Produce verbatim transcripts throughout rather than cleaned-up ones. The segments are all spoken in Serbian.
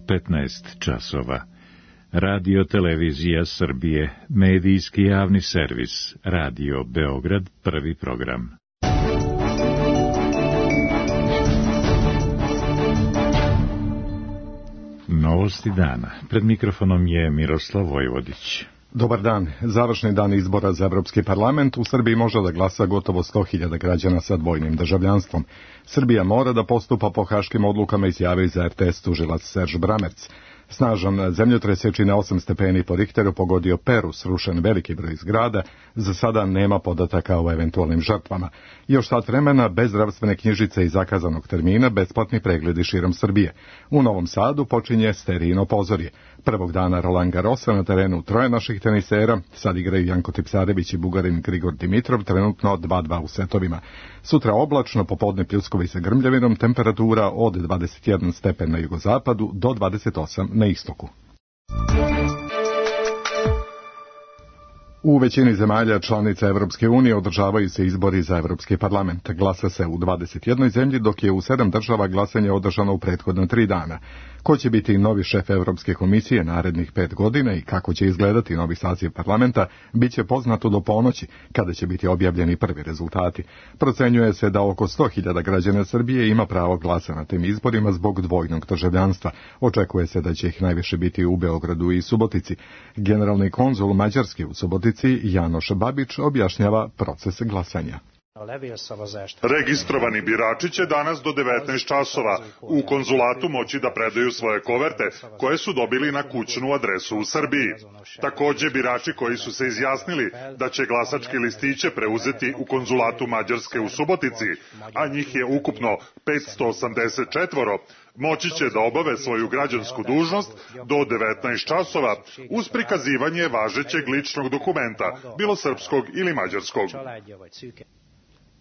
petnaest časova. Radio Televizija Srbije, medijski javni servis, Radio Beograd, prvi program. Novosti dana. Pred mikrofonom je Miroslav Vojvodić. Dobar dan. Završni dan izbora za Evropski parlament. U Srbiji može da glasa gotovo sto hiljada građana sa dvojnim državljanstvom. Srbija mora da postupa po haškim odlukama, izjavio za R T S tužilac Serž Bramerc. Snažan zemljotres je čine osam stepeni po Richteru pogodio Peru, srušen veliki broj zgrada. Za sada nema podataka o eventualnim žrtvama. Još sat vremena, bez zdravstvene knjižice i zakazanog termina, besplatni pregledi širom Srbije. U Novom Sadu počinje sterijino pozorje. Prvog dana Roland Garrosa na terenu troje naših tenisera, sad igraju Janko Tipsarević i Bugarin Grigor Dimitrov, trenutno dva dva u setovima. Sutra oblačno, popodne pljuskovi sa grmljavinom, temperatura od dvadeset jedan stepen na jugozapadu do dvadeset osam na istoku. U većini zemalja članica Evropske unije održavaju se izbori za Evropski parlament. Glasa se u dvadeset jednoj zemlji, dok je u sedam država glasanje održano u prethodna tri dana. Ko će biti novi šef Evropske komisije narednih pet godina i kako će izgledati novi saziv parlamenta, bit će poznato do ponoći, kada će biti objavljeni prvi rezultati. Procenjuje se da oko sto hiljada građana Srbije ima pravo glasa na tim izborima zbog dvojnog državljanstva. Očekuje se da će ih najviše biti u Beogradu i Subotici. Generalni konzul Mađarske u Subotici, Janoš Babić, objašnjava proces glasanja. Registrovani birači će danas do devetnaest časova u konzulatu moći da predaju svoje koverte koje su dobili na kućnu adresu u Srbiji. Takođe, birači koji su se izjasnili da će glasačke listiće preuzeti u konzulatu Mađarske u Subotici, a njih je ukupno petsto osamdeset četiri, moći će da obave svoju građansku dužnost do devetnaest časova uz prikazivanje važećeg ličnog dokumenta, bilo srpskog ili mađarskog.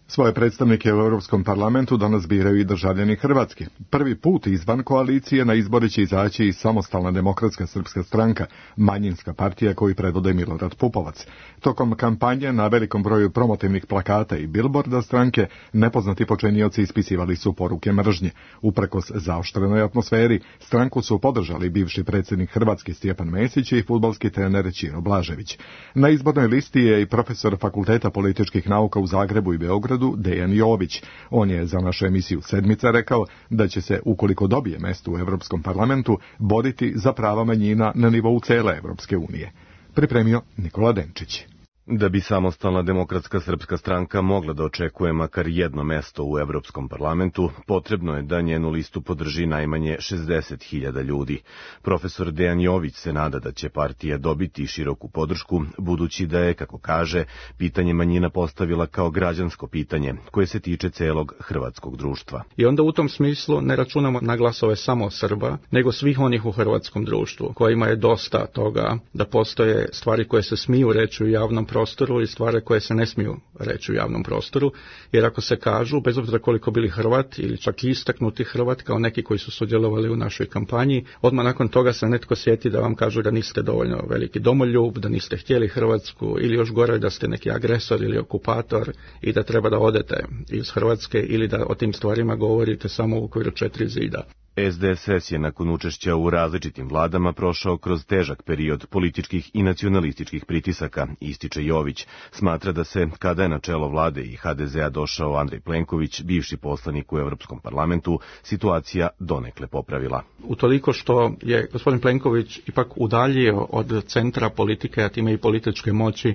Svoje predstavnike u Europskom parlamentu danas biraju i državljani Hrvatske. Prvi put izvan koalicije na izbore će izaći i Samostalna demokratska srpska stranka, manjinska partija koju predvode Milorad Pupovac. Tokom kampanje na velikom broju promotivnih plakata i bilborda stranke nepoznati počinioci ispisivali su poruke mržnje. Uprkos zaoštrenoj atmosferi, stranku su podržali bivši predsjednik Hrvatske Stjepan Mesić i fudbalski trener Ćiro Blažević. Na izbornoj listi je i profesor Fakulteta političkih nauka u Zagrebu i Beogradu Dejan Jović. On je za našu emisiju Sedmica rekao da će se, ukoliko dobije mesto u Evropskom parlamentu, boriti za prava manjina na nivou cele Evropske unije. Pripremio Nikola Denčić. Da bi Samostalna demokratska srpska stranka mogla da očekuje makar jedno mesto u Evropskom parlamentu, potrebno je da njenu listu podrži najmanje šezdeset hiljada ljudi. Profesor Dejan Jović se nada da će partija dobiti široku podršku, budući da je, kako kaže, pitanje manjina postavila kao građansko pitanje, koje se tiče celog hrvatskog društva. I onda u tom smislu ne računamo na glasove samo Srba, nego svih onih u hrvatskom društvu, kojima je dosta toga da postoje stvari koje se smiju reći u javnom prostoru i stvari koje se ne smiju reći u javnom prostoru, jer ako se kažu, bez obzira koliko bili Hrvat ili čak i istaknuti Hrvat, kao neki koji su sudjelovali u našoj kampanji, odmah nakon toga se netko sjeti da vam kažu da niste dovoljno veliki domoljub, da niste htjeli Hrvatsku ili još gore da ste neki agresor ili okupator i da treba da odete iz Hrvatske ili da o tim stvarima govorite samo u okviru četiri zida. S D S S je nakon učešća u različitim vladama prošao kroz težak period političkih i nacionalističkih pritisaka, ističe Jović. Smatra da se, kada je na čelo vlade i H D Z a došao Andrej Plenković, bivši poslanik u Evropskom parlamentu, situacija donekle popravila. Utoliko što je gospodin Plenković ipak udaljio od centra politike, a time i političke moći,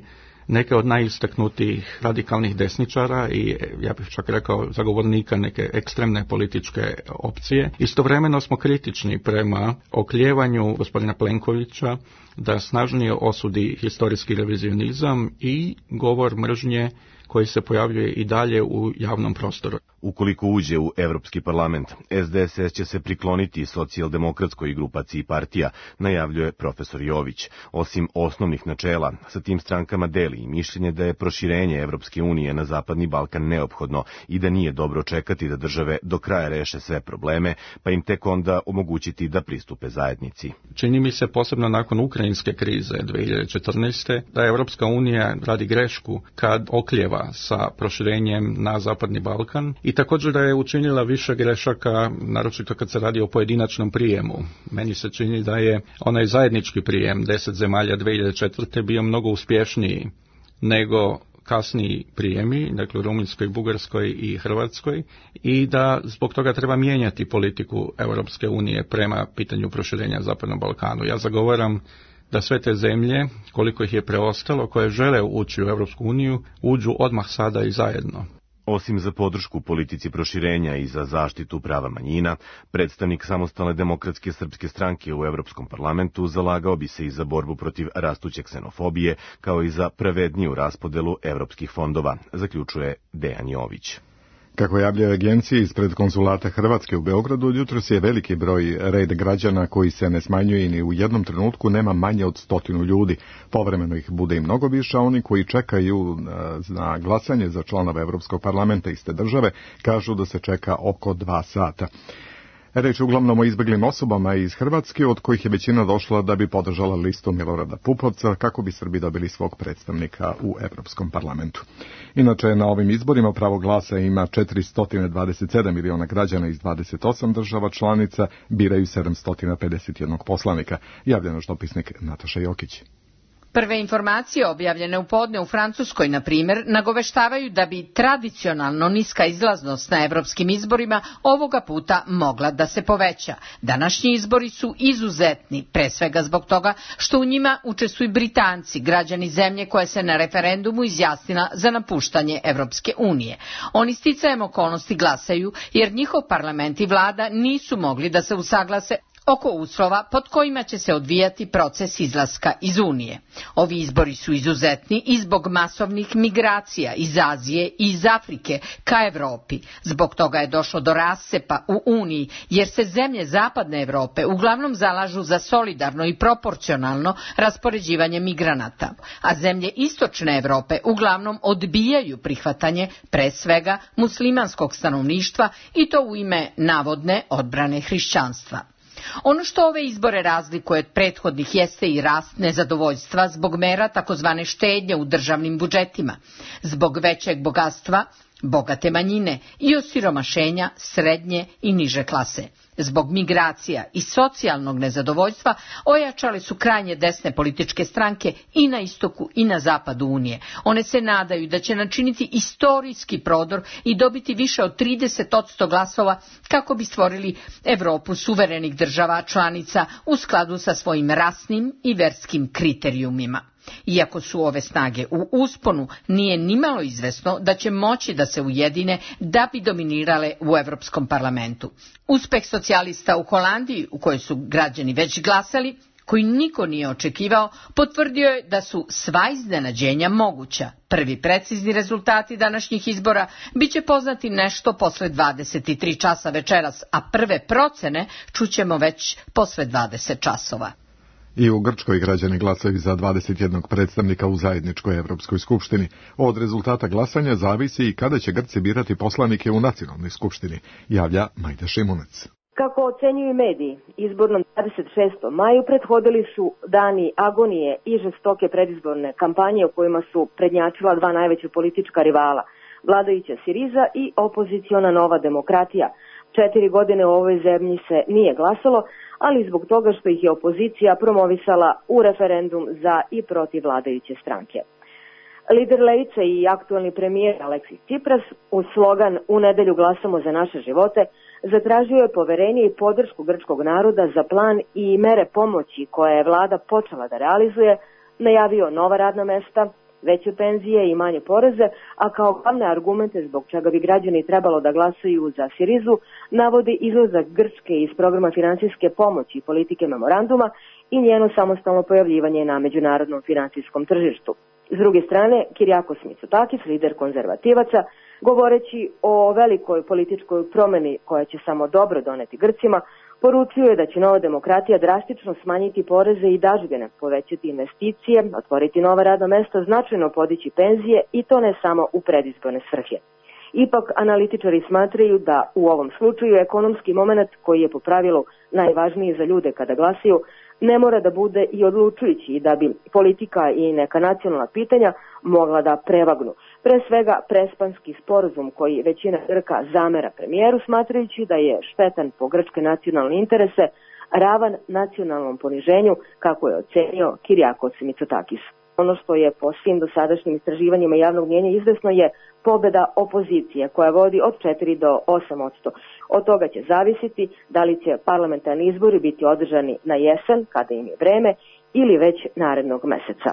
neke od najistaknutijih radikalnih desničara i, ja bih čak rekao, zagovornika neke ekstremne političke opcije. Istovremeno smo kritični prema okljevanju gospodina Plenkovića da snažnije osudi historijski revizionizam i govor mržnje koji se pojavljuje i dalje u javnom prostoru. Ukoliko uđe u Evropski parlament, S D S S će se prikloniti socijaldemokratskoj grupaciji partija, najavljuje profesor Jović. Osim osnovnih načela, sa tim strankama deli i mišljenje da je proširenje Evropske unije na Zapadni Balkan neophodno i da nije dobro čekati da države do kraja reše sve probleme, pa im tek onda omogućiti da pristupe zajednici. Čini mi se, posebno nakon ukrajinske krize dve hiljade četrnaeste. da Evropska unija radi grešku kad oklijeva sa proširenjem na Zapadni Balkan i također da je učinila više grešaka, naročito kad se radi o pojedinačnom prijemu. Meni se čini da je onaj zajednički prijem deset zemalja dvije hiljade četvrte bio mnogo uspješniji nego kasniji prijemi, dakle u Rumunjskoj, Bugarskoj i Hrvatskoj, i da zbog toga treba mijenjati politiku Europske unije prema pitanju proširenja Zapadnom Balkanu. Ja zagovaram da sve te zemlje, koliko ih je preostalo, koje žele ući u Europsku uniju, uđu odmah sada i zajedno. Osim za podršku politici proširenja i za zaštitu prava manjina, predstavnik Samostalne demokratske srpske stranke u Europskom parlamentu zalagao bi se i za borbu protiv rastuće ksenofobije, kao i za pravedniju raspodelu evropskih fondova, zaključuje Dejan Jović. Kako javljaju agencije ispred konzulata Hrvatske u Beogradu, jutros je veliki broj red građana koji se ne smanjuje i ni u jednom trenutku nema manje od stotinu ljudi. Povremeno ih bude i mnogo više, a oni koji čekaju na glasanje za članove Evropskog parlamenta iste države kažu da se čeka oko dva sata. Reč je uglavnom o izbjeglim osobama iz Hrvatske, od kojih je većina došla da bi podržala listu Milorada Pupovca kako bi Srbi dobili svog predstavnika u Evropskom parlamentu. Inače, na ovim izborima pravo glasa ima četiristo dvadeset sedam miliona građana iz dvadeset osam država članica, biraju sedamsto pedeset jedan poslanika. Javlja naš dopisnik Nataša Jokić. Prve informacije objavljene u podne u Francuskoj, na primjer, nagoveštavaju da bi tradicionalno niska izlaznost na evropskim izborima ovoga puta mogla da se poveća. Današnji izbori su izuzetni, pre svega zbog toga što u njima učestvuju Britanci, građani zemlje koja se na referendumu izjasnila za napuštanje Evropske unije. Oni sticajem okolnosti glasaju jer njihov parlament i vlada nisu mogli da se usaglase oko uslova pod kojima će se odvijati proces izlaska iz Unije. Ovi izbori su izuzetni i zbog masovnih migracija iz Azije i iz Afrike ka Evropi. Zbog toga je došlo do rascepa u Uniji, jer se zemlje zapadne Evrope uglavnom zalažu za solidarno i proporcionalno raspoređivanje migranata, a zemlje istočne Evrope uglavnom odbijaju prihvatanje pre svega muslimanskog stanovništva i to u ime navodne odbrane hrišćanstva. Ono što ove izbore razlikuje od prethodnih jeste i rast nezadovoljstva zbog mera takozvane štednje u državnim budžetima, zbog većeg bogatstva, bogate manjine i osiromašenja srednje i niže klase. Zbog migracija i socijalnog nezadovoljstva ojačale su krajnje desne političke stranke i na istoku i na zapadu Unije. One se nadaju da će načiniti istorijski prodor i dobiti više od trideset posto glasova kako bi stvorili Evropu suverenih država članica u skladu sa svojim rasnim i verskim kriterijumima. Iako su ove snage u usponu, nije nimalo izvesno da će moći da se ujedine da bi dominirale u Evropskom parlamentu. Uspeh socijalista u Holandiji, u kojoj su građani već glasali, koji niko nije očekivao, potvrdio je da su sva iznenađenja moguća. Prvi precizni rezultati današnjih izbora biće poznati nešto posle dvadeset tri časa večeras, a prve procene čućemo već posle dvadeset časova. I u Grčkoj građani glasaju za dvadeset jedan predstavnika u zajedničkoj Evropskoj skupštini. Od rezultata glasanja zavisi i kada će Grci birati poslanike u nacionalnoj skupštini, javlja Majda Šimunac. Kako ocenjuju mediji, izbornom dvadeset šestom maju prethodili su dani agonije i žestoke predizborne kampanje u kojima su prednjačila dva najveća politička rivala, vladajuća Siriza i opoziciona Nova demokratija. Četiri godine u ovoj zemlji se nije glasalo, ali zbog toga što ih je opozicija promovisala u referendum za i protiv vladajuće stranke. Lider Levice i aktualni premijer Aleksis Tsipras uz slogan "U nedelju glasamo za naše živote" zatražio je poverenje i podršku grčkog naroda za plan i mere pomoći koje je vlada počela da realizuje, najavio nova radna mesta, veće penzije i manje poreze, a kao glavne argumente zbog čega bi građani trebalo da glasaju za Sirizu navodi izlazak Grčke iz programa finansijske pomoći i politike memoranduma i njeno samostalno pojavljivanje na međunarodnom finansijskom tržištu. S druge strane, Kyriakos Mitsotakis, lider konzervativaca, govoreći o velikoj političkoj promeni koja će samo dobro doneti Grcima, poručuje da će Nova demokratija drastično smanjiti poreze i dažbine, povećati investicije, otvoriti nova radna mesta, značajno podići penzije i to ne samo u predizborne svrhe. Ipak, analitičari smatraju da u ovom slučaju ekonomski moment, koji je po pravilu najvažniji za ljude kada glasaju, ne mora da bude i odlučujući i da bi politika i neka nacionalna pitanja mogla da prevagnu. Pre svega, prespanski sporazum koji većina Grka zamera premijeru, smatrajući da je štetan po grčke nacionalne interese, ravan nacionalnom poniženju, kako je ocenio Kyriakos Mitsotakis. Ono što je po svim dosadašnjim istraživanjima javnog mnjenja izvesno je pobeda opozicije, koja vodi od četiri do osam posto. Od toga će zavisiti da li će parlamentarni izbori biti održani na jesen, kada im je vreme, ili već narednog meseca.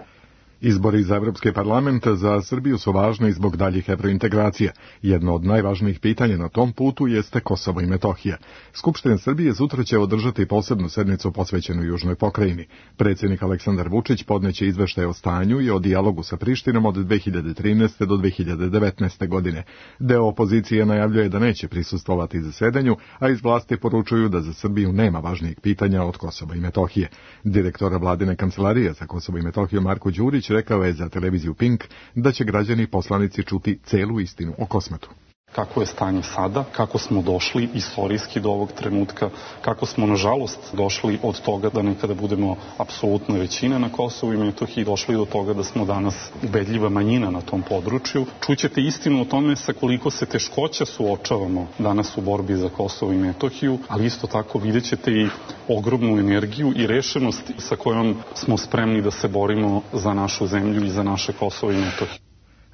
Izbori za Evropski parlament za Srbiju su važni zbog daljih evrointegracija. Jedno od najvažnijih pitanja na tom putu jeste Kosovo i Metohija. Skupština Srbije sutra će održati posebnu sednicu posvećenu Južnoj pokrajini. Predsjednik Aleksandar Vučić podneće izveštaj o stanju i o dijalogu sa Prištinom od dve hiljade trinaeste. do dve hiljade devetnaeste. godine. Deo opozicije najavljuje da neće prisustvovati zasedanju, a iz vlasti poručuju da za Srbiju nema važnijeg pitanja od Kosova i Metohije. Direktor vladine kancelarije za Kosovo i Metohiju Marko Đurić rekao je za televiziju Pink da će građani i poslanici čuti celu istinu o Kosmetu. Kako je stanje sada, kako smo došli istorijski do ovog trenutka, kako smo nažalost došli od toga da nekada budemo apsolutna većina na Kosovu i Metohiji, došli do toga da smo danas ubedljiva manjina na tom području. Čućete istinu o tome sa koliko se teškoća suočavamo danas u borbi za Kosovo i Metohiju, ali isto tako vidjet ćete i ogromnu energiju i rešenost sa kojom smo spremni da se borimo za našu zemlju i za naše Kosovo i Metohiju.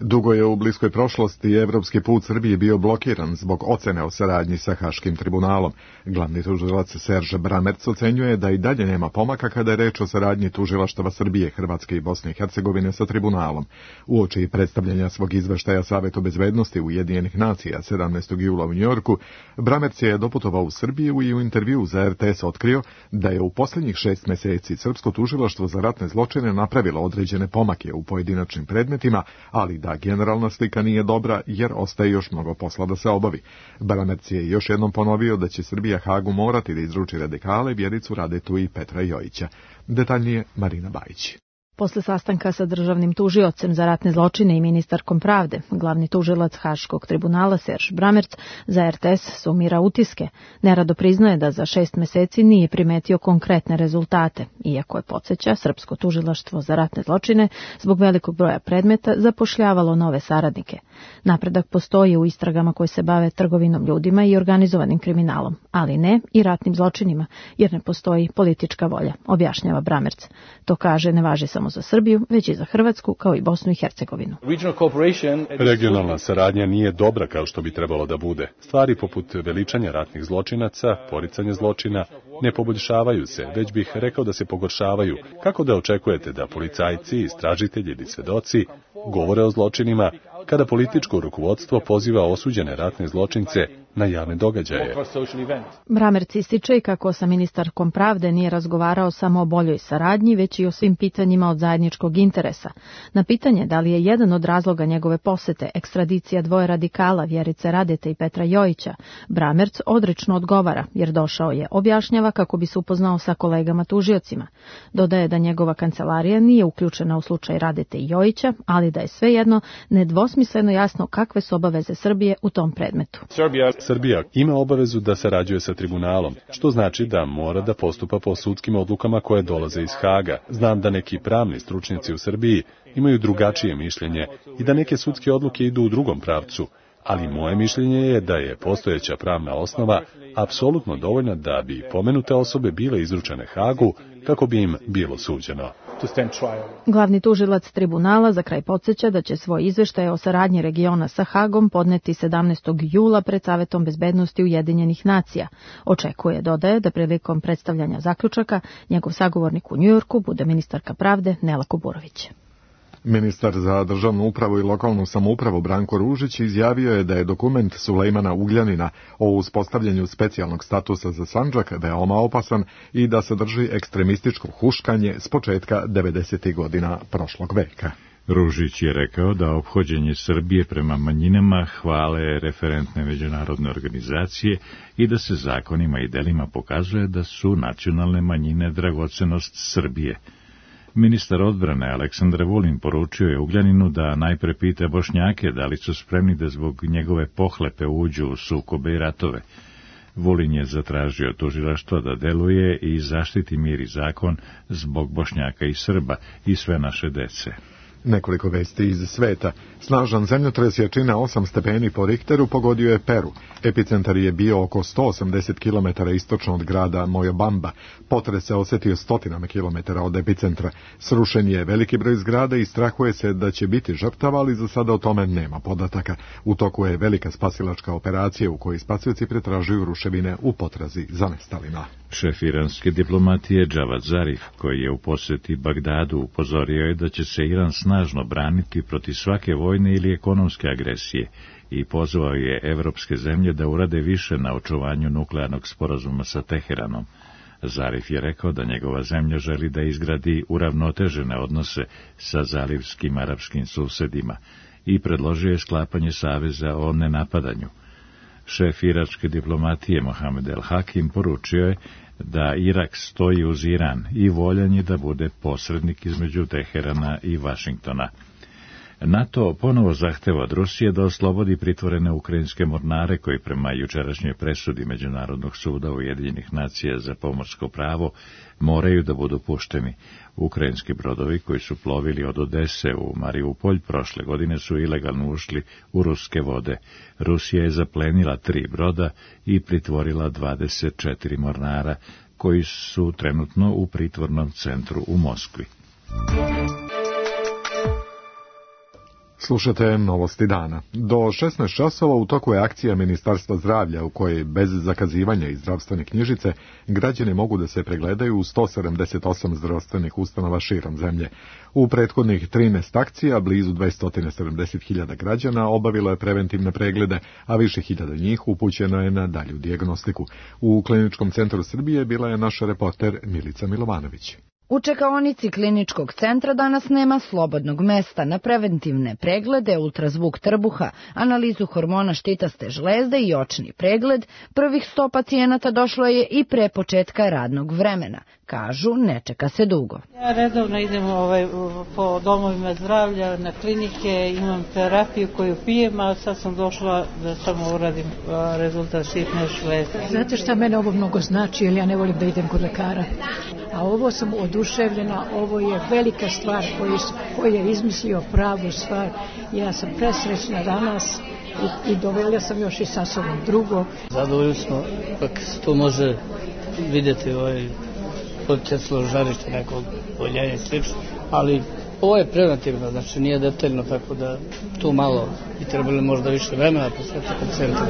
Dugo je u bliskoj prošlosti evropski put Srbije bio blokiran zbog ocene o saradnji sa Haškim tribunalom. Glavni tužilac Serge Bramerc ocenjuje da i dalje nema pomaka kada je reč o saradnji tužilaštava Srbije, Hrvatske i Bosne i Hercegovine sa tribunalom. Uoči predstavljanja svog izveštaja Savetu bezbednosti Ujedinjenih nacija sedamnaestog jula u Njujorku, Bramerc je doputovao u Srbiju i u intervju za R T S otkrio da je u posljednjih šest meseci Srpsko tužilaštvo za ratne zločine napravilo određene pomake u pojedinačnim predmetima, ali da generalna slika nije dobra jer ostaje još mnogo posla da se obavi. Bramerc je još jednom ponovio da će Srbija Hagu morati da izruči radikale Vjericu Radetu i Petra Jojića. Detaljnije Marina Bajić. Posle sastanka sa državnim tužiocem za ratne zločine i ministarkom pravde, glavni tužilac Haškog tribunala Serge Bramerc za R T S sumira utiske. Nerado priznaje da za šest meseci nije primetio konkretne rezultate, iako je, podsjeća, Srpsko tužilaštvo za ratne zločine zbog velikog broja predmeta zapošljavalo nove saradnike. Napredak postoji u istragama koje se bave trgovinom ljudima i organizovanim kriminalom, ali ne i ratnim zločinima, jer ne postoji politička volja, objašnjava Bramerc. To kaže ne važi samo za Srbiju, već i za Hrvatsku, kao i Bosnu i Hercegovinu. Regionalna saradnja nije dobra kao što bi trebalo da bude. Stvari poput veličanja ratnih zločinaca, poricanja zločina, ne poboljšavaju se, već bih rekao da se pogoršavaju. Kako da očekujete da policajci, istražitelji ili svedoci govore o zločinima kada političko rukovodstvo poziva osuđene ratne zločince na javne događaje? Bramerc ističe i kako sa ministarkom pravde nije razgovarao samo o boljoj saradnji, već i o svim pitanjima od zajedničkog interesa. Na pitanje da li je jedan od razloga njegove posete ekstradicija dvoje radikala Vjerice Radete i Petra Jojića, Bramerc odrično odgovara, jer došao je, objašnjava, kako bi se upoznao sa kolegama tužiocima. Dodaje da njegova kancelarija nije uključena u slučaj Radete i Jojića, ali da je svejedno nedvosmisleno jasno kakve su obaveze Srbije u tom predmetu. Srbija ima obavezu da sarađuje sa tribunalom, što znači da mora da postupa po sudskim odlukama koje dolaze iz Haga. Znam da neki pravni stručnjaci u Srbiji imaju drugačije mišljenje i da neke sudske odluke idu u drugom pravcu, ali moje mišljenje je da je postojeća pravna osnova apsolutno dovoljna da bi pomenute osobe bile izručene Hagu kako bi im bilo suđeno. Glavni tužilac tribunala za kraj podsjeća da će svoj izveštaj o saradnji regiona sa Hagom podneti sedamnaestog jula pred Savetom bezbednosti Ujedinjenih nacija. Očekuje, dodaje, da prilikom predstavljanja zaključaka njegov sagovornik u Njujorku bude ministarka pravde Nela Kuburović. Ministar za državnu upravu i lokalnu samoupravu Branko Ružić izjavio je da je dokument Sulejmana Ugljanina o uspostavljanju specijalnog statusa za Sandžak veoma opasan i da sadrži ekstremističko huškanje s početka devedesetih godina prošlog veka. Ružić je rekao da ophođenje Srbije prema manjinama hvale referentne međunarodne organizacije i da se zakonima i delima pokazuje da su nacionalne manjine dragocenost Srbije. Ministar odbrane Aleksandar Vulin poručio je Ugljaninu da najpre pita Bošnjake da li su spremni da zbog njegove pohlepe uđu u sukobe i ratove. Vulin je zatražio tužilaštvo da deluje i zaštiti mir i zakon zbog Bošnjaka i Srba i sve naše dece. Nekoliko vesti iz sveta. Snažan zemljotres jačine osam stepeni po Richteru pogodio je Peru. Epicentar je bio oko sto osamdeset kilometara istočno od grada Moyobamba. Potres se osjetio stotinama kilometara od epicentra. Srušen je veliki broj zgrada i strahuje se da će biti žrtava, ali za sada o tome nema podataka. U toku je velika spasilačka operacija u kojoj spasioci pretražuju ruševine u potrazi za nestalima. Šef iranske diplomatije Javad Zarif, koji je u posjeti Bagdadu, upozorio je da će se Iran snažno braniti protiv svake vojne ili ekonomske agresije i pozvao je evropske zemlje da urade više na očuvanju nuklearnog sporazuma sa Teheranom. Zarif je rekao da njegova zemlja želi da izgradi uravnotežene odnose sa zalivskim arapskim susedima i predložio je sklapanje saveza o nenapadanju. Šef iračke diplomatije Mohamed El Hakim poručio je da Irak stoji uz Iran i voljan je da bude posrednik između Teherana i Vašingtona. NATO ponovo zahteva od Rusije da oslobodi pritvorene ukrajinske mornare koji prema jučerašnjoj presudi Međunarodnog suda Ujedinjenih nacija za pomorsko pravo moraju da budu pušteni. Ukrajinski brodovi koji su plovili od Odese u Mariupolj prošle godine su ilegalno ušli u ruske vode. Rusija je zaplenila tri broda i pritvorila dvadeset četiri mornara koji su trenutno u pritvornom centru u Moskvi. Slušate novosti dana. Do šesnaest časova u toku je akcija Ministarstva zdravlja u kojoj bez zakazivanja iz zdravstvene knjižice građani mogu da se pregledaju u sto sedamdeset osam zdravstvenih ustanova širom zemlje. U prethodnih trinaest akcija blizu dvesta sedamdeset hiljada građana obavilo je preventivne preglede, a više hiljada njih upućeno je na dalju dijagnostiku. U Kliničkom centru Srbije bila je naša reporter Milica Milovanović. U čekaonici Kliničkog centra danas nema slobodnog mesta na preventivne preglede, ultrazvuk trbuha, analizu hormona štitaste žlezde i očni pregled. Prvih sto pacijenata došlo je i pre početka radnog vremena. Kažu, ne čeka se dugo. Ja redovno idem ovaj, po domovima zdravlja, na klinike, imam terapiju koju pijem, a sad sam došla da samo uradim rezultat štitne žlezde. Znate šta mene ovo mnogo znači, jer ja ne volim da idem kod lekara. A ovo sam oduševljena, ovo je velika stvar koju, koju je izmislio pravu stvar. Ja sam presrećna danas i, i dovela sam još i sa sobom drugo. Zadovoljni smo kako se to može vidjeti ovaj poticalo žarište nekog boljenja i slično, ali ovo je preventivno, znači nije detaljno, tako da tu malo bi trebali možda više vremena posvetiti pacijentima.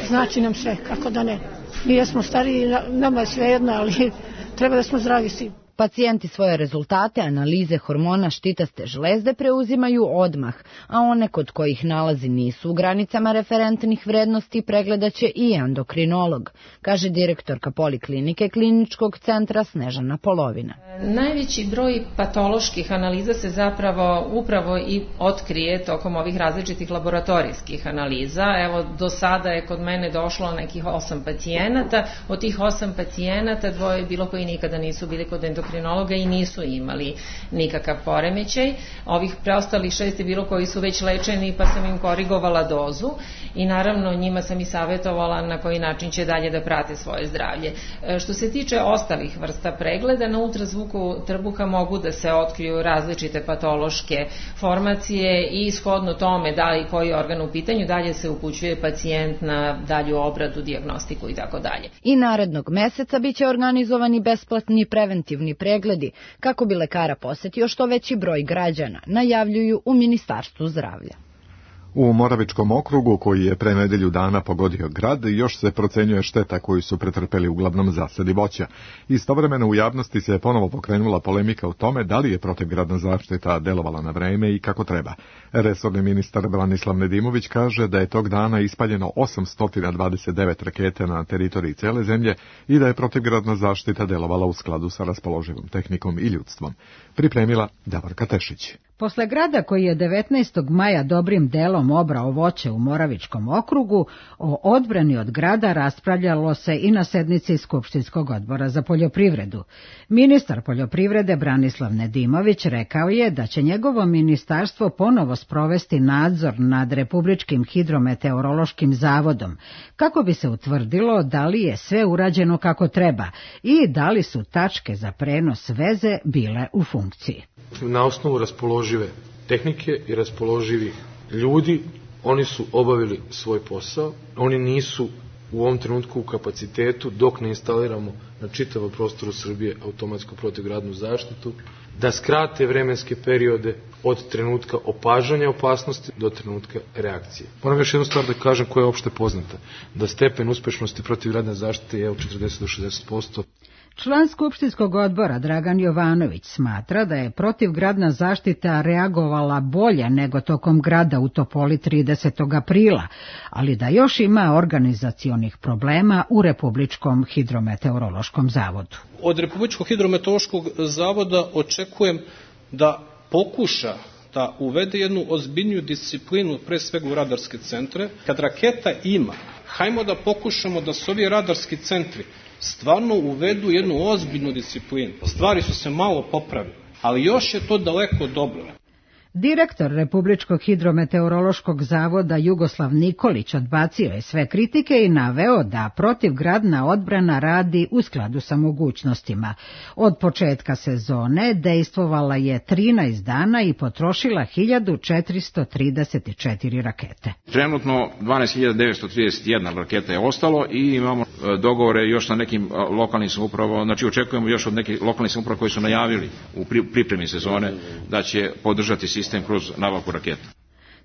Znači nam sve, kako da ne. Mi jesmo stariji, nama je sve jedno, ali treba da smo zdravi svi. Pacijenti svoje rezultate analize hormona štitaste žlezde preuzimaju odmah, a one kod kojih nalazi nisu u granicama referentnih vrednosti pregledaće i endokrinolog, kaže direktorka poliklinike Kliničkog centra Snežana Polovina. Najveći broj patoloških analiza se zapravo upravo i otkrije tokom ovih različitih laboratorijskih analiza. Evo, do sada je kod mene došlo nekih osam pacijenata, od tih osam pacijenata dvoje je bilo koji nikada nisu bili kod endokrinologa i nisu imali nikakav poremećaj. Ovih preostalih šest je bilo koji su već lečeni, pa sam im korigovala dozu i naravno njima sam i savjetovala na koji način će dalje da prate svoje zdravlje. Što se tiče ostalih vrsta pregleda, na ultrazvuku trbuha mogu da se otkriju različite patološke formacije i shodno tome da li koji organ u pitanju, dalje se upućuje pacijent na dalju obradu, dijagnostiku i tako dalje. I narednog meseca biće organizovani besplatni preventivni pregledi kako bi lekara posetio što veći broj građana, najavljuju u Ministarstvu zdravlja. U Moravičkom okrugu, koji je pre nedelju dana pogodio grad, još se procenjuje šteta koju su pretrpeli uglavnom zasadi voća. Istovremeno u javnosti se ponovo pokrenula polemika o tome da li je protivgradna zaštita delovala na vreme i kako treba. Resorni ministar Branislav Nedimović kaže da je tog dana ispaljeno osamsto dvadeset devet rakete na teritoriji cele zemlje i da je protivgradna zaštita delovala u skladu sa raspoloživom tehnikom i ljudstvom. Pripremila Davorka Tešić. Posle grada koji je devetnaestog maja dobrim delom obrao voće u Moravičkom okrugu, o odbrani od grada raspravljalo se i na sednici Skupštinskog odbora za poljoprivredu. Ministar poljoprivrede Branislav Nedimović rekao je da će njegovo ministarstvo ponovo sprovesti nadzor nad Republičkim hidrometeorološkim zavodom, kako bi se utvrdilo da li je sve urađeno kako treba i da li su tačke za prenos veze bile u funkciji. Na osnovu raspoložive tehnike i raspoloživih ljudi, oni su obavili svoj posao. Oni nisu u ovom trenutku u kapacitetu, dok ne instaliramo na čitavom prostoru Srbije automatsku protivgradnu zaštitu, da skrate vremenske periode od trenutka opažanja opasnosti do trenutka reakcije. Moram još jednu stvar da kažem koja je opšte poznata, da stepen uspešnosti protivgradne zaštite je od četrdeset do šezdeset posto. Član Skupštinskog odbora Dragan Jovanović smatra da je protivgradna zaštita reagovala bolje nego tokom grada u Topoli tridesetog aprila, ali da još ima organizacionih problema u Republičkom hidrometeorološkom zavodu. Od Republičkog hidrometeorološkog zavoda očekujem da pokuša da uvede jednu ozbiljniju disciplinu, pre svega u radarske centre. Kad raketa ima, hajmo da pokušamo da se ovi radarski centri stvarno uvedu jednu ozbiljnu disciplinu. Stvari su se malo popravile, ali još je to daleko dobro. Direktor Republičkog hidrometeorološkog zavoda Jugoslav Nikolić odbacio je sve kritike i naveo da protivgradna odbrana radi u skladu sa mogućnostima. Od početka sezone dejstvovala je trinaest dana i potrošila hiljadu četiristo trideset četiri rakete. Trenutno dvanaest hiljada devetsto trideset jedna raketa je ostalo i imamo dogovore još sa nekim lokalnim samoupravama, znači očekujemo još od nekih lokalnih samouprava koji su najavili u pripremi sezone da će podržati sistem kroz nabavku raketa.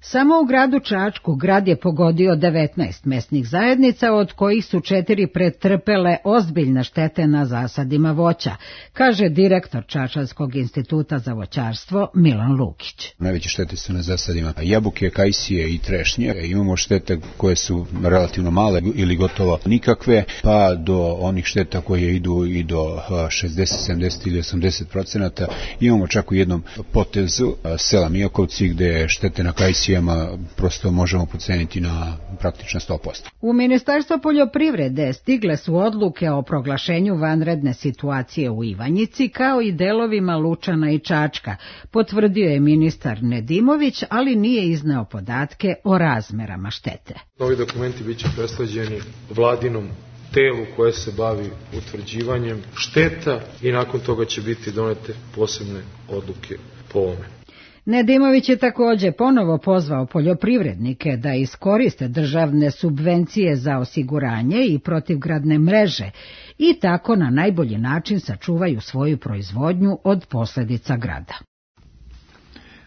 Samo u gradu Čačku grad je pogodio devetnaest mesnih zajednica, od kojih su četiri pretrpele ozbiljne štete na zasadima voća, kaže direktor Čačanskog instituta za voćarstvo Milan Lukić. Najveće štete su na zasadima jabuke, kajsije i trešnje. Imamo štete koje su relativno male ili gotovo nikakve, pa do onih šteta koje idu i do šezdeset, sedamdeset ili osamdeset procenata. Imamo čak u jednom potezu sela Mijakovci gde štete na kajsije prosto možemo proceniti na praktično sto posto. U Ministarstvo poljoprivrede stigle su odluke o proglašenju vanredne situacije u Ivanjici, kao i delovima Lučana i Čačka, potvrdio je ministar Nedimović, ali nije izneo podatke o razmerama štete. Novi dokumenti biće presleđeni vladinom telu koje se bavi utvrđivanjem šteta i nakon toga će biti donete posebne odluke po ovome. Nedimović je također ponovo pozvao poljoprivrednike da iskoriste državne subvencije za osiguranje i protivgradne mreže i tako na najbolji način sačuvaju svoju proizvodnju od posljedica grada.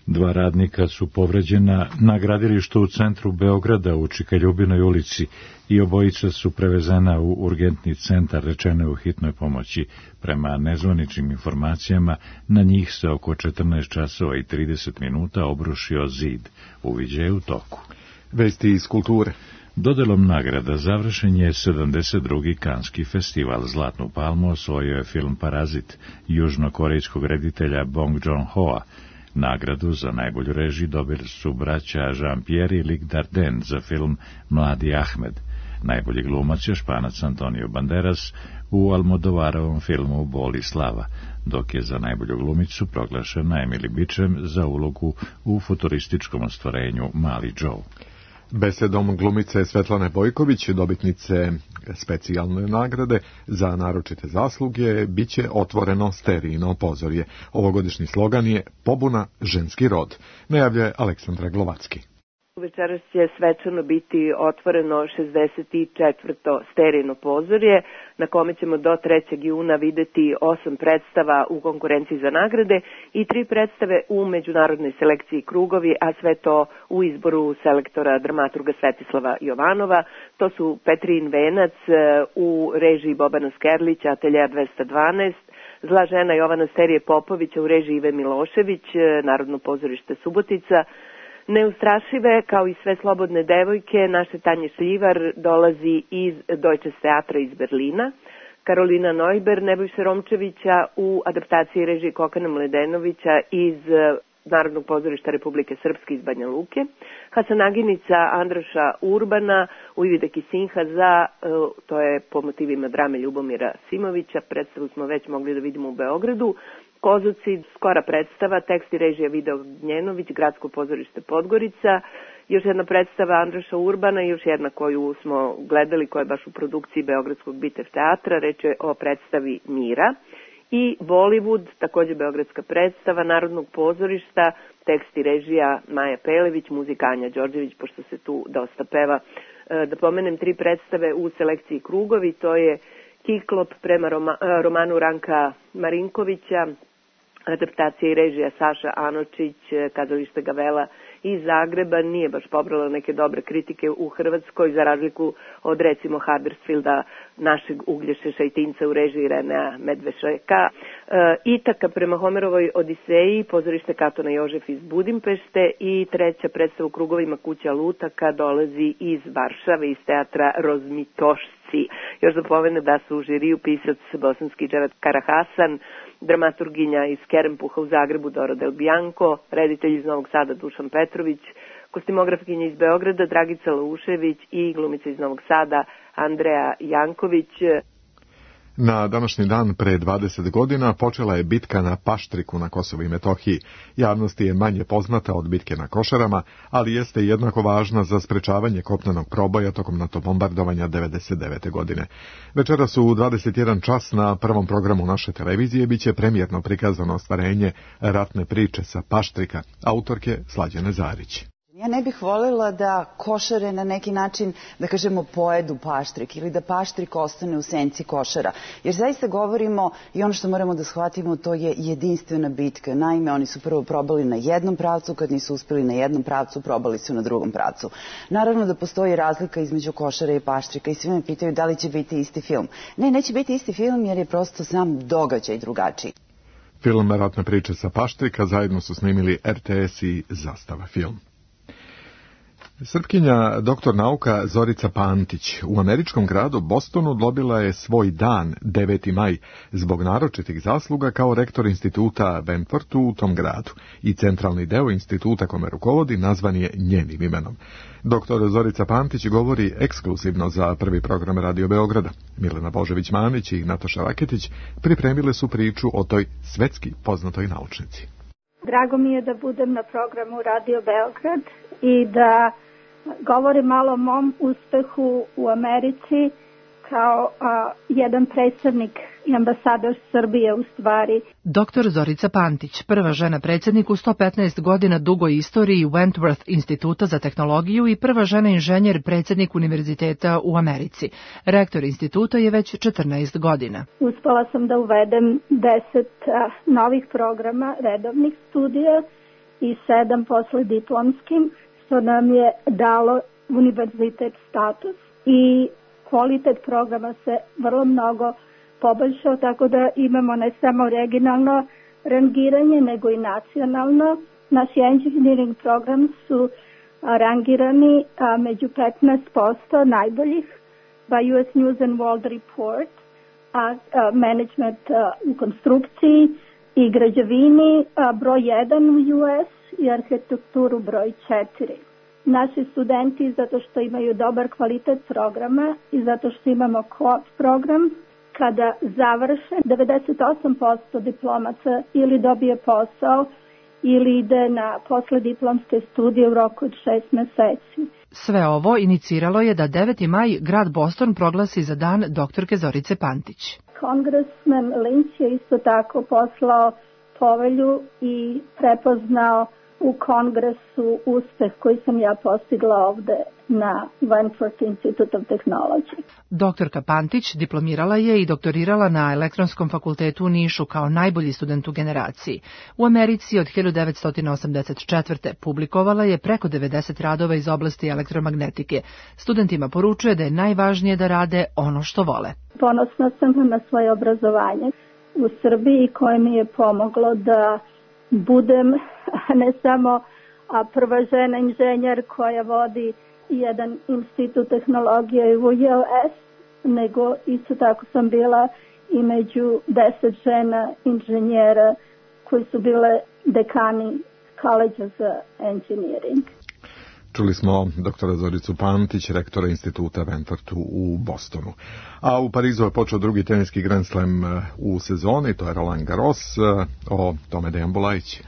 Dva radnika su povređena na gradilištu u centru Beograda u Čikaljubinoj ulici i obojica su prevezena u urgentni centar, rečeno u hitnoj pomoći. Prema nezvaničnim informacijama, na njih se oko četrnaest časova i trideset minuta obrušio zid. Uviđaj je u toku. Vesti iz kulture. Dodelom nagrada završen je sedamdeset drugi Kanski festival. Zlatnu palmu osvojio je film Parazit južnokorejskog reditelja Bong Joon-hoa. Nagradu za najbolju režiju dobili su braća Jean-Pierre i Luc Dardenne za film Mladi Ahmed. Najbolji glumac je Španac Antonio Banderas u Almodovarovom filmu Bol i slava, dok je za najbolju glumicu proglašena Emily Beecham za ulogu u futurističkom ostvarenju Mali Joe. Besedom glumice Svetlane Bojković, dobitnice specijalne nagrade za naročite zasluge, biće otvoreno sterijno pozorje. Ovogodišnji slogan je Pobuna ženski rod, najavljuje Aleksandra Glovacki. Večeras će svečano biti otvoreno šezdeset četvrto sterijno pozorje, na kome ćemo do trećeg juna videti osam predstava u konkurenciji za nagrade i tri predstave u međunarodnoj selekciji Krugovi, a sve to u izboru selektora dramaturga Svetislava Jovanova. To su Petrin Venac u režiji Bobana Skerlića, Ateljea dvesta dvanaest, Zla žena Jovana Sterije Popovića u režiji Ive Milošević, Narodno pozorište Subotica. Neustrašive, kao i sve slobodne devojke, naše Tanje Šljivar dolazi iz Deutsches Teatra iz Berlina. Karolina Neuber, Nebojše Romčevića u adaptaciji režije Kokana Mledenovića iz Narodnog pozorišta Republike Srpske iz Banja Luke, Hasanaginica Andraša Urbana, Ujvide Kisinha za, to je po motivima drame Ljubomira Simovića, predstavu smo već mogli da vidimo u Beogradu, Kozocid, skora predstava, tekst i režija Video Gnjenović, Gradsko pozorište Podgorica, još jedna predstava Andraša Urbana i još jedna koju smo gledali, koja je baš u produkciji Beogradskog Bitev teatra, reč je o predstavi Mira. I Bollywood, takođe beogradska predstava Narodnog pozorišta, tekst i režija Maja Pelević, muzika Anja Đorđević, pošto se tu dosta peva. Da pomenem tri predstave u selekciji Krugovi, to je Kiklop prema Roma, romanu Ranka Marinkovića, adaptacija i režija Saša Anočić, kazalište Gavela iz Zagreba, nije baš pobrala neke dobre kritike u Hrvatskoj, za razliku od recimo Huddersfielda, našeg Uglješe Šajtinca u režiji Renea Medvešeka. E, Itaka prema Homerovoj Odiseji, pozorište Katona Jožef iz Budimpešte i treća predstava u Krugovima Kuća Lutaka dolazi iz Varšave, iz teatra Rozmitošci. Još da pomene da su u žiriju pisac bosanski Dževat Karahasan, dramaturginja iz Kerempuha u Zagrebu Dora Del Bianco, reditelj iz Novog Sada Dušan Petrović, kostimografkinja iz Beograda Dragica Laušević i glumica iz Novog Sada Andreja Janković. Na današnji dan pre dvadeset godina počela je bitka na Paštriku na Kosovu i Metohiji. Javnosti je manje poznata od bitke na Košarama, ali jeste jednako važna za sprečavanje kopnenog proboja tokom NATO bombardovanja devedeset devete godine. Večeras u dvadeset jedan čas na prvom programu naše televizije biće premijerno prikazano ostvarenje ratne priče sa Paštrika, autorke Slađane Zarić. Ja ne bih voljela da Košare na neki način, da kažemo, pojedu Paštrik ili da Paštrik ostane u senci Košara. Jer zaista govorimo i ono što moramo da shvatimo, to je jedinstvena bitka. Naime, oni su prvo probali na jednom pravcu, kad nisu uspeli na jednom pravcu, probali su na drugom pravcu. Naravno da postoji razlika između Košara i Paštrika i svi me pitaju da li će biti isti film. Ne, neće biti isti film jer je prosto sam događaj drugačiji. Film Ratne priče sa Paštrika zajedno su snimili R T S i Zastava film. Srpkinja doktor nauka Zorica Pantić u američkom gradu Bostonu dobila je svoj dan, deveti maj, zbog naročitih zasluga kao rektor instituta Benfortu u tom gradu i centralni deo instituta kome rukovodi nazvan je njenim imenom. Doktor Zorica Pantić govori ekskluzivno za prvi program Radio Beograda. Milena Božević-Manić i Nataša Raketić pripremile su priču o toj svetski poznatoj naučnici. Drago mi je da budem na programu Radio Beograd i da govorim malo o mom uspehu u Americi kao a, jedan predstavnik i ambasador Srbije u stvari. Doktor Zorica Pantić, prva žena predsjednik u sto petnaest godina dugoj istoriji Wentworth instituta za tehnologiju i prva žena inženjer predsjednik univerziteta u Americi. Rektor instituta je već četrnaest godina. Uspela sam da uvedem deset a, novih programa redovnih studija i sedam posle diplomskim, što nam je dalo univerzitet status i kvalitet programa se vrlo mnogo poboljšao, tako da imamo ne samo regionalno rangiranje, nego i nacionalno. Naši engineering program su rangirani a, među petnaest posto najboljih by U S News and World Report, a, a management a, u konstrukciji i građevini a, broj jedan u U S i arhitekturu broj četiri. Naši studenti, zato što imaju dobar kvalitet programa i zato što imamo co-op program, kada završe, devedeset osam posto diplomaca ili dobije posao ili ide na poslediplomske studije u roku od šest meseci. Sve ovo iniciralo je da deveti maj grad Boston proglasi za dan doktorke Zorice Pantić. Kongresmen Lynch je isto tako poslao povelju i prepoznao u kongresu uspeh koji sam ja postigla ovde na Wentworth Institute of Technology. Doktorka Pantić diplomirala je i doktorirala na Elektronskom fakultetu u Nišu kao najbolji student u generaciji. U Americi od hiljadu devetsto osamdeset četvrte publikovala je preko devedeset radova iz oblasti elektromagnetike. Studentima poručuje da je najvažnije da rade ono što vole. Ponosna sam na svoje obrazovanje u Srbiji koje mi je pomoglo da budem ne samo prva žena inženjer koja vodi jedan institut tehnologije u U S, nego isto tako sam bila i među deset žena inženjera koji su bile dekani College of Engineering. Čuli smo doktora Zoricu Pantić, rektora instituta Wentworth u Bostonu. A u Parizu je počeo drugi teniski Grand Slam u sezoni, to je Roland Garros, o tome Dejan Bulajić.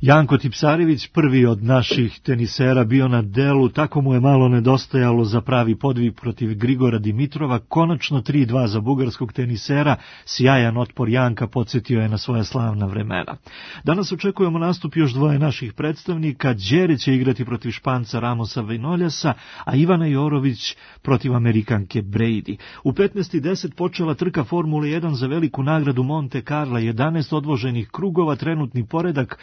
Janko Tipsarević, prvi od naših tenisera, bio na delu, tako mu je malo nedostajalo za pravi podvig protiv Grigora Dimitrova, konačno tri dva za bugarskog tenisera, sjajan otpor Janka podsjetio je na svoja slavna vremena. Danas očekujemo nastup još dvoje naših predstavnika, Đere će igrati protiv Španca Ramosa Vinoljasa, a Ivana Jorović protiv Amerikanke Brady. U petnaest i deset počela trka Formule jedan za veliku nagradu Monte Carlo, jedanaest odvoženih krugova, trenutni poredak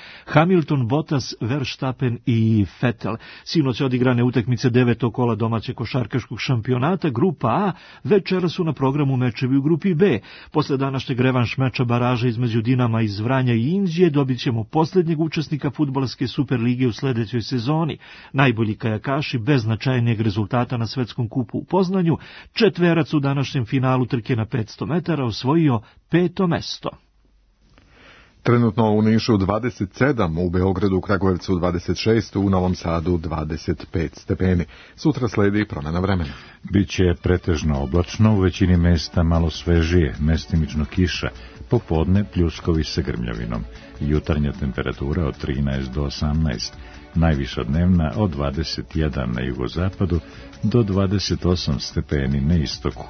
Hamilton, Bottas, Verstappen i Vettel. Sinoć odigrane utakmice devetog kola domaćeg košarkaškog šampionata, grupa A, večera su na programu mečevi u grupi B. Posle današnjeg revanš meča baraža između Dinama iz Vranja i Inđije dobit ćemo posljednjeg učesnika fudbalske Superlige u sledećoj sezoni. Najbolji kajakaši bez značajnijeg rezultata na svetskom kupu u Poznanju, četverac u današnjem finalu trke na petsto metara osvojio peto mesto. Trenutno u Nišu dvadeset sedam, u Beogradu, Kragujevcu dvadeset šest, u Novom Sadu dvadeset pet stepeni. Sutra sledi promjena vremena. Biće pretežno oblačno, u većini mesta malo svežije, mestimično kiša, popodne pljuskovi sa grmljavinom. Jutarnja temperatura od trinaest do osamnaest, najviša dnevna od dvadeset jedan na jugozapadu do dvadeset osam stepeni na istoku.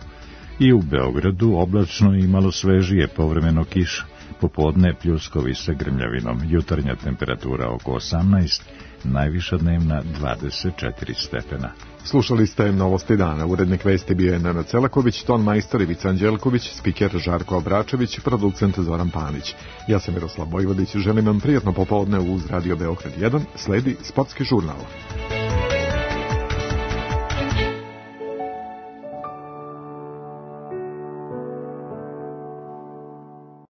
I u Beogradu oblačno i malo svežije, povremeno kiša. Popodne pljuskovi sa grmljavinom, jutarnja temperatura oko osamnaest, najviša dnevna dvadeset četiri stepena. Slušali ste Novosti dana, urednik vesti bio je Nenad Celaković, ton majstor Ivica Anđelković, spiker Žarko Obračević, producent Zoran Panić. Ja sam Miroslav Vojvodić, želim vam prijatno popodne uz Radio Beograd jedan, sledi sportski žurnal.